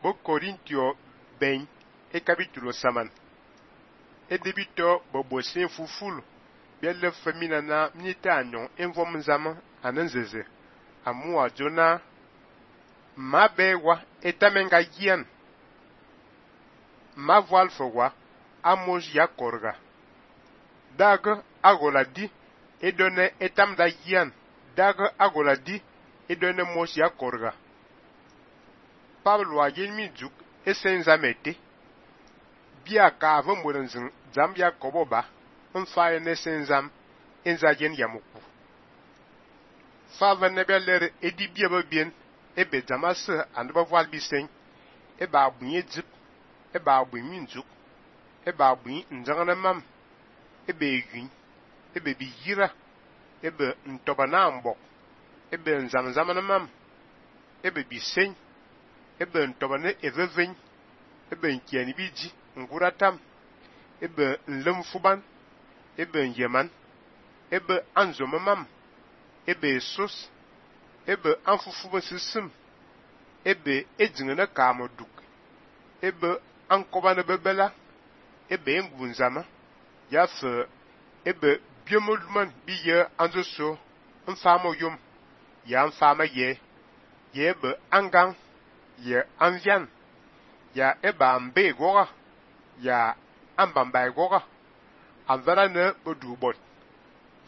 bo Corintio ben e capítulo saman. E debito bo bosin fufulu. Bielle famina na minita anyon envom zama ananzeze. Amua jona ma bewa etamenga yian. Ma voile fowa amos ya korga. Dag agoladi e donne etam da yian. Dag agoladi e donne mos ya korga. Pablo a yelmi juk e senzamete. Bia ka avumburanzin zambia koboba. Nfaye ne senzam enzagen yamuku. Fava nebeler edi biaba bien ebe zamase andeba voile bisen. Eba abunye zip. Eba abu minjuk. Eba abu nzangana mam. Ebe yun. Ebe biyira. Ebe ntobana mbok. Ebe nzamzamana mam. Ebe bisen. Ebe ntobane eveven. Ebe nkiani biji. Nguratam. Ebe nlemfuban. Ebe nyeman. Ebe anzomamam. Ebe sos. Ebe anfufuba sisim. Ebe edzingene kamoduk. Ebe ankobane bebela. Ebe ngunzama. Yafe ebe biomodman biye anzoso. Nfamo yom. Ya nfama ye. Ye ebe angang. Ye anvian. Ya ebe ambe goga. Ya ambamba goga. Anvara ne bodu bot.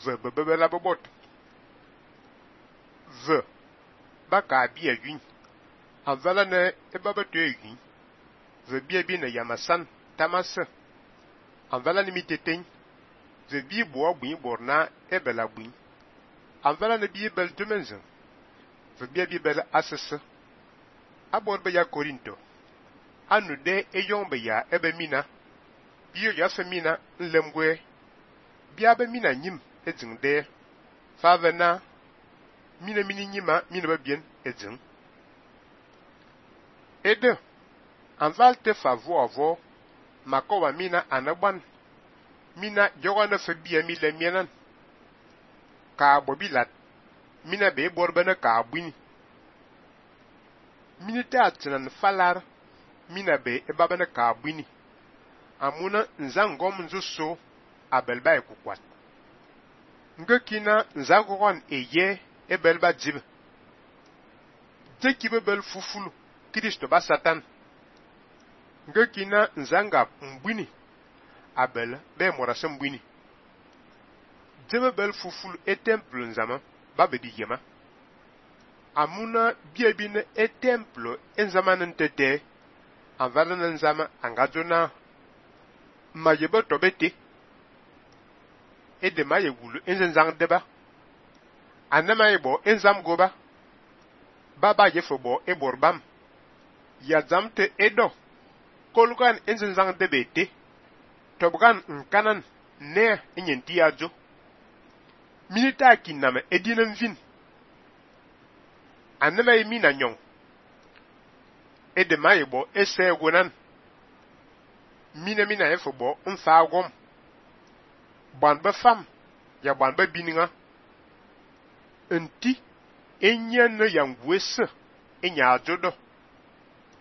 Ve bebela bobot. Ve baka biya yun. Anvara ne ebaba tuye yun. Ve biya bi ne yamasan tamase. Anvara ne miteten. Ve bi boa bui borna ebela bui. Anvara ne biye bel tumenzen. Ve biya bi bel asese. Abor be ya Korinto. Anu de eyombe ya ebe mina. Biyo ya femina nlemgwe. Biya be mina nyim edzing de. Fave na mina mini nyima mina ba bien edzing. Ede. Anval te favo avo. Makowa mina anagban. Mina joga na fe biya mi le mienan. Ka bobilat. Mina be borbene ka abwini. Minite atinan falar. Mina be ebabene ka abwini. Amuna nzangom nzuso abelba ekukwat. Ngekina nzagogon eye ebelba jibe. Deki bebel fufulu Kristo ba Satan. Ngekina nzanga mbwini abel be morase mbwini. Jebebel fufulu temple nzama babedi yema. Amuna biebine temple enzama ntete anvala nzama angajona mayebe tobete ede maye wulu enzang deba anama yebo enzam goba baba yefo eborbam ya zamte edo kolgan enzang debete tobgan nkanan ne enyenti ajo milita kiname edinem vin anama yemina nyon ede mayebo ese gonan mina efo bo nfa agom ban ba fam ya ban ba bininga enti enyen na yangwese enya ajodo